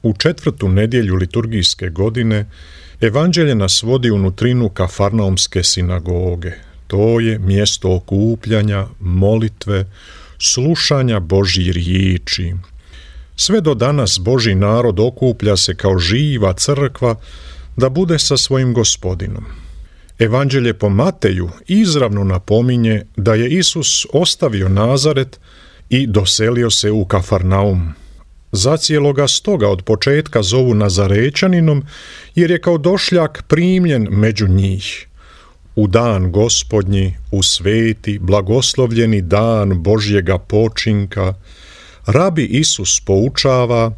U 4. nedjelju liturgijske godine evanđelje nas vodi u nutrinu Kafarnaumske sinagoge. To je mjesto okupljanja, molitve, slušanja Božjih riječi. Sve do danas Božji narod okuplja se kao živa crkva da bude sa svojim Gospodinom. Evanđelje po Mateju izravno napominje da je Isus ostavio Nazaret i doselio se u Kafarnaum. Zacijelo ga stoga od početka zovu Nazarećaninom, jer je kao došljak primljen među njih. U dan Gospodnji, u sveti, blagoslovljeni dan Božjega počinka, rabi Isus poučava,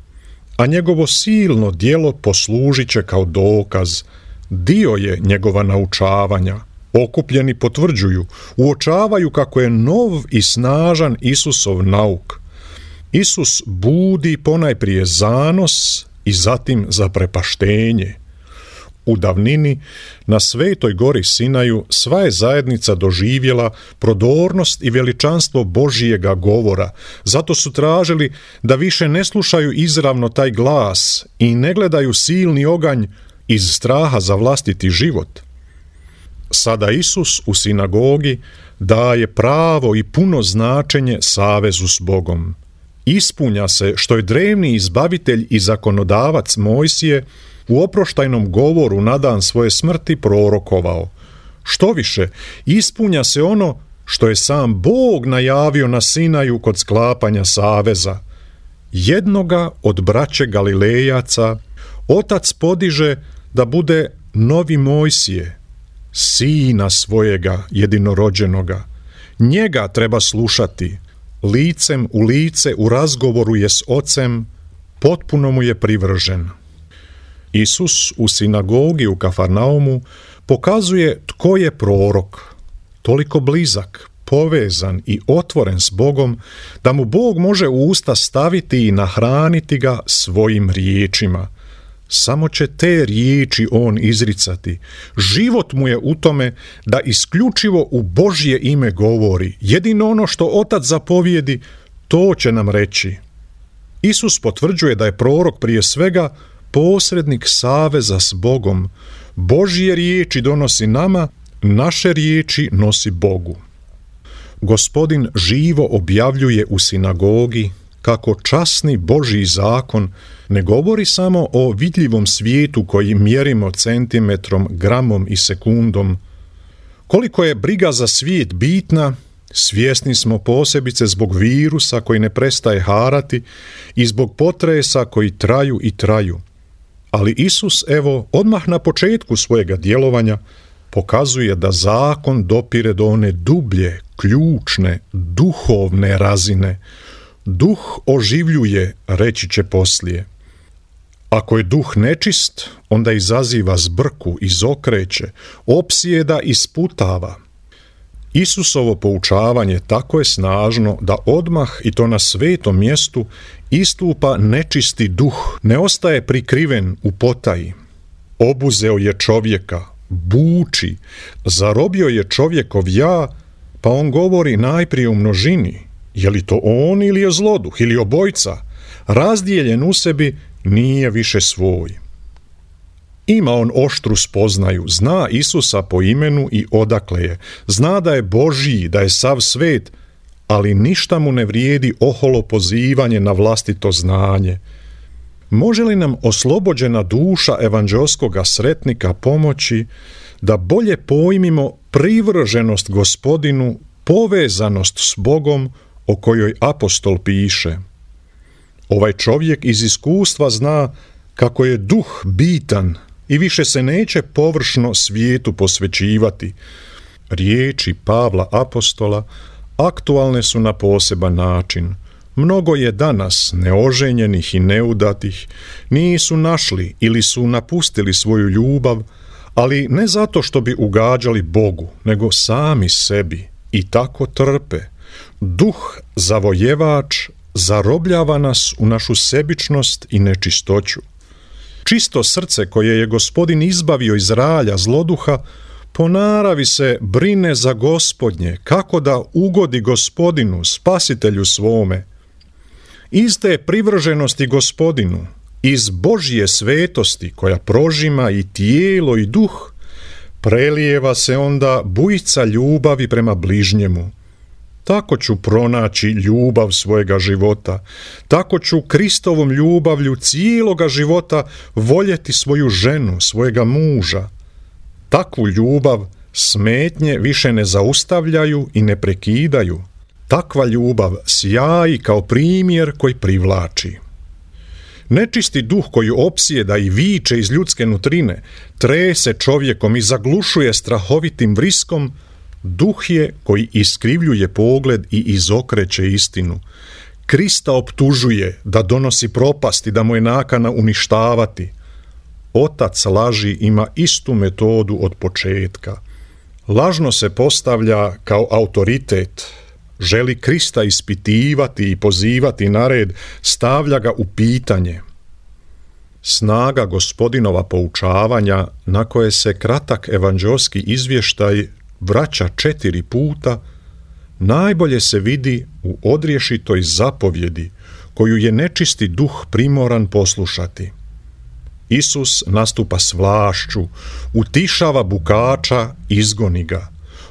a njegovo silno djelo poslužit će kao dokaz. Dio je njegova naučavanja. Okupljeni potvrđuju, uočavaju kako je nov i snažan Isusov nauk. Isus budi ponajprije zanos i zatim zaprepaštenje. U davnini, na Svetoj gori Sinaju, sva je zajednica doživjela prodornost i veličanstvo Božjega govora. Zato su tražili da više ne slušaju izravno taj glas i ne gledaju silni oganj iz straha za vlastiti život. Sada Isus u sinagogi daje pravo i puno značenje savezu s Bogom. Ispunja se što je drevni izbavitelj i zakonodavac Mojsije u oproštajnom govoru na dan svoje smrti prorokovao. Štoviše, ispunja se ono što je sam Bog najavio na Sinaju kod sklapanja saveza. Jednoga od braće Galilejaca Otac podiže da bude novi Mojsije, sina svojega jedinorođenoga. Njega treba slušati, licem u lice u razgovoru je s Ocem, potpuno mu je privržen. Isus u sinagogi u Kafarnaumu pokazuje tko je prorok, toliko blizak, povezan i otvoren s Bogom, da mu Bog može u usta staviti i nahraniti ga svojim riječima. Samo će te riječi on izricati. Život mu je u tome da isključivo u Božje ime govori. Jedino ono što Otac zapovijedi, to će nam reći. Isus potvrđuje da je prorok prije svega posrednik saveza s Bogom. Božje riječi donosi nama, naše riječi nosi Bogu. Gospodin živo objavljuje u sinagogi kako časni Božji zakon ne govori samo o vidljivom svijetu koji mjerimo centimetrom, gramom i sekundom. Koliko je briga za svijet bitna, svjesni smo posebice zbog virusa koji ne prestaje harati i zbog potresa koji traju i traju. Ali Isus, evo, odmah na početku svojega djelovanja pokazuje da zakon dopire do one dublje, ključne, duhovne razine. Duh oživljuje, reći će poslije. Ako je duh nečist, onda izaziva zbrku, izokreće, opsjeda i sputava. Isusovo poučavanje tako je snažno da odmah, i to na svetom mjestu, istupa nečisti duh, ne ostaje prikriven u potaji. Obuzeo je čovjeka, buči, zarobio je čovjekov ja, pa on govori najprije u množini. Je li to on ili je zloduh ili obojca? Razdijeljen u sebi nije više svoj. Ima on oštru spoznaju, zna Isusa po imenu i odakle je, zna da je Božji, da je sav svet, ali ništa mu ne vrijedi oholo pozivanje na vlastito znanje. Može li nam oslobođena duša evanđelskoga sretnika pomoći da bolje pojmimo privrženost Gospodinu, povezanost s Bogom o kojoj apostol piše? Ovaj čovjek iz iskustva zna kako je duh bitan i više se neće površno svijetu posvećivati. Riječi Pavla apostola aktualne su na poseban način. Mnogo je danas neoženjenih i neudatih, nisu našli ili su napustili svoju ljubav, ali ne zato što bi ugađali Bogu, nego sami sebi, i tako trpe. Duh zavojevač zarobljava nas u našu sebičnost i nečistoću. Čisto srce koje je Gospodin izbavio iz ralja zloduha, po naravi se brine za Gospodnje, kako da ugodi Gospodinu, spasitelju svome. Iste privrženosti Gospodinu, Iz Božje svetosti koja prožima i tijelo i duh, prelijeva se onda bujica ljubavi prema bližnjemu. Tako ću pronaći ljubav svojega života, tako ću Kristovom ljubavlju cijeloga života voljeti svoju ženu, svojega muža. Takvu ljubav smetnje više ne zaustavljaju i ne prekidaju. Takva ljubav sjaji kao primjer koji privlači. Nečisti duh koji opsjeda i viče iz ljudske nutrine, trese čovjekom i zaglušuje strahovitim vriskom, duh je koji iskrivljuje pogled i izokreće istinu. Krista optužuje da donosi propast i da mu je nakana uništavati. Otac laži ima istu metodu od početka. Lažno se postavlja kao autoritet, želi Krista ispitivati i pozivati na red, stavlja ga u pitanje. Snaga Gospodinova poučavanja, na koje se kratak evanđeoski izvještaj vraća 4 puta, najbolje se vidi u odriješitoj zapovjedi koju je nečisti duh primoran poslušati. Isus nastupa s vlašću, utišava bukača, izgoni ga.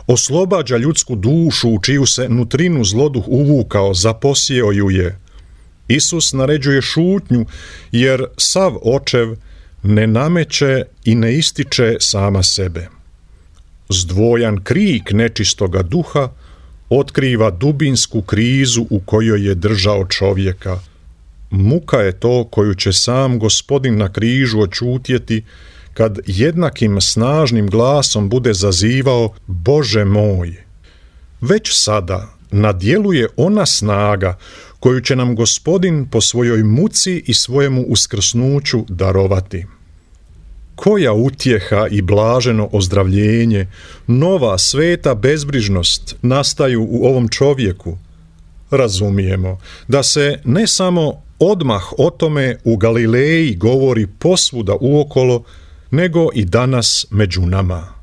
Oslobađa ljudsku dušu u čiju se nutrinu zloduh uvukao, zaposjeo ju je. Isus naređuje šutnju, jer sav očev ne nameće i ne ističe sama sebe. Zdvojan krik nečistoga duha otkriva dubinsku krizu u kojoj je držao čovjeka. Muka je to koju će sam Gospodin na križu očutjeti kad jednakim snažnim glasom bude zazivao Bože moj. Već sada nadjeluje ona snaga koju će nam Gospodin po svojoj muci i svojemu uskrsnuću darovati. Koja utjeha i blaženo ozdravljenje, nova sveta bezbrižnost nastaju u ovom čovjeku. Razumijemo da se ne samo odmah o tome u Galileji govori posvuda uokolo, nego i danas među nama.